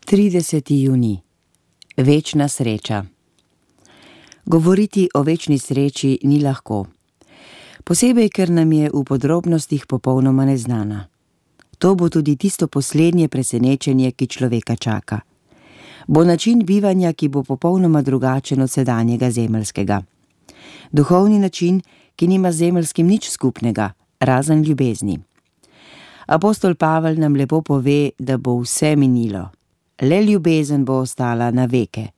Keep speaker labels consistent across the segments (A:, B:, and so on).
A: 30. junij. Večna sreča. Govoriti o večni sreči ni lahko. Posebej, ker nam je v podrobnostih popolnoma neznana. To bo tudi tisto poslednje presenečenje, ki človeka čaka. Bo način bivanja, ki bo popolnoma drugačen od sedanjega zemeljskega. Duhovni način, ki nima z zemeljskim nič skupnega, razen ljubezni. Apostol Pavel nam lepo pove, da bo vse minilo. Le ljubezen bo ostala na veke.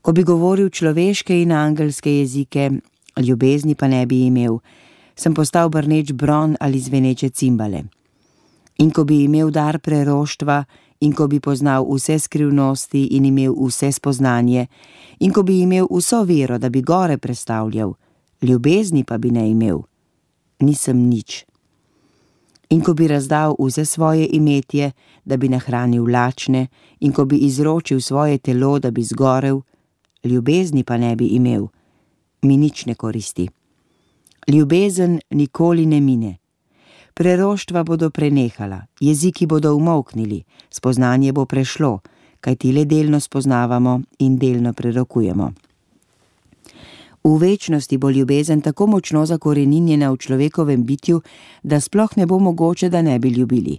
A: Ko bi govoril človeške in angelske jezike, ljubezni pa ne bi imel, sem postal brneč bron ali zveneče cimbale. In ko bi imel dar preroštva, in ko bi poznal vse skrivnosti in imel vse spoznanje, in ko bi imel vso vero, da bi gore prestavljal, ljubezni pa bi ne imel, nisem nič. In ko bi razdal vse svoje imetje, da bi nahranil lačne, in ko bi izročil svoje telo, da bi zgorel, ljubezni pa ne bi imel, mi nič ne koristi. Ljubezen nikoli ne mine. Preroštva bodo prenehala, jeziki bodo umolknili, spoznanje bo prešlo, kajti le delno spoznavamo in delno prerokujemo. V večnosti bo ljubezen tako močno zakoreninjena v človekovem bitju, da sploh ne bo mogoče, da ne bi ljubili.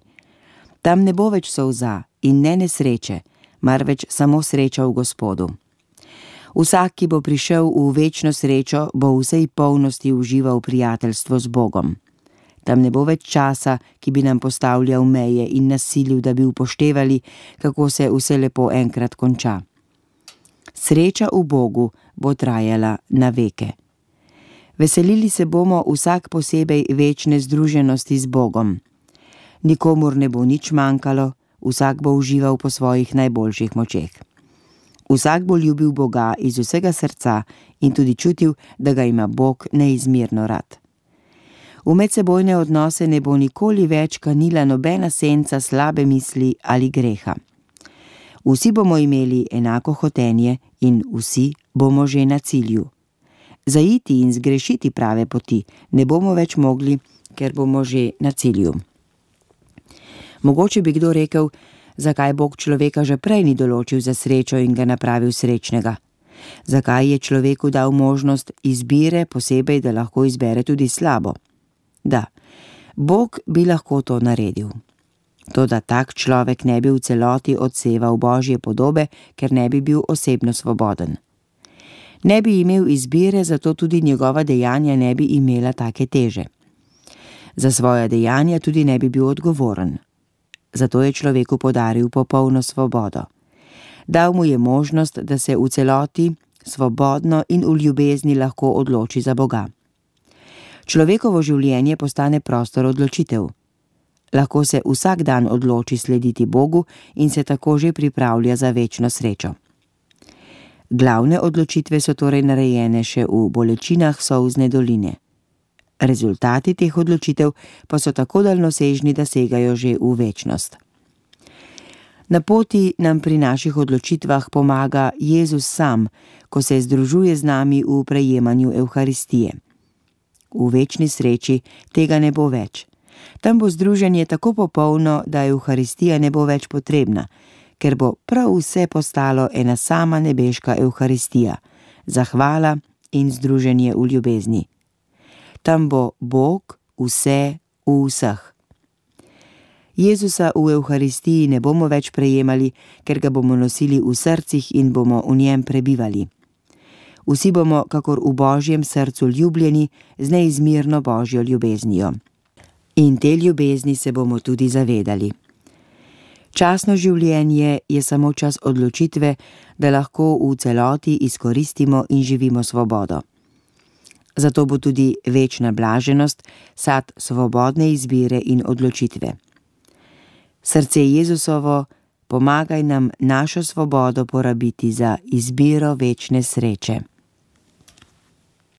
A: Tam ne bo več solza in ne nesreče, marveč samo sreča v Gospodu. Vsak, ki bo prišel v večno srečo, bo v vsej polnosti užival prijateljstvo z Bogom. Tam ne bo več časa, ki bi nam postavljal meje in nas silil, da bi upoštevali, kako se vse lepo enkrat konča. Sreča v Bogu bo trajala na veke. Veselili se bomo vsak posebej večne združenosti z Bogom. Nikomur ne bo nič manjkalo, vsak bo užival po svojih najboljših močeh. Vsak bo ljubil Boga iz vsega srca in tudi čutil, da ga ima Bog neizmerno rad. V medsebojne odnose ne bo nikoli več kanila nobena senca slabe misli ali greha. Vsi bomo imeli enako hotenje in vsi bomo že na cilju. Zaiti in zgrešiti prave poti ne bomo več mogli, ker bomo že na cilju. Mogoče bi kdo rekel, zakaj Bog človeka že prej ni določil za srečo in ga napravil srečnega. Zakaj je človeku dal možnost izbire, posebej, da lahko izbere tudi slabo. Da, Bog bi lahko to naredil. Toda tak človek ne bi v celoti odseval Božje podobe, ker ne bi bil osebno svoboden. Ne bi imel izbire, zato tudi njegova dejanja ne bi imela take teže. Za svoja dejanja tudi ne bi bil odgovoren. Zato je človeku podaril popolno svobodo. Dal mu je možnost, da se v celoti, svobodno in v ljubezni lahko odloči za Boga. Človekovo življenje postane prostor odločitev. Lahko se vsak dan odloči slediti Bogu in se tako že pripravlja za večno srečo. Glavne odločitve so torej narejene še v bolečinah solzne doline. Rezultati teh odločitev pa so tako daljnosežni, da segajo že v večnost. Na poti nam pri naših odločitvah pomaga Jezus sam, ko se združuje z nami v prejemanju Evharistije. V večni sreči tega ne bo več. Tam bo združenje tako popolno, da Evharistija ne bo več potrebna, ker bo prav vse postalo ena sama nebeška Evharistija, zahvala in združenje v ljubezni. Tam bo Bog vse v vseh. Jezusa v Evharistiji ne bomo več prejemali, ker ga bomo nosili v srcih in bomo v njem prebivali. Vsi bomo, kakor v Božjem srcu, ljubljeni z neizmerno Božjo ljubeznijo. In te ljubezni se bomo tudi zavedali. Časno življenje je samo čas odločitve, da lahko v celoti izkoristimo in živimo svobodo. Zato bo tudi večna blaženost sad svobodne izbire in odločitve. Srce Jezusovo, pomagaj nam našo svobodo porabiti za izbiro večne sreče.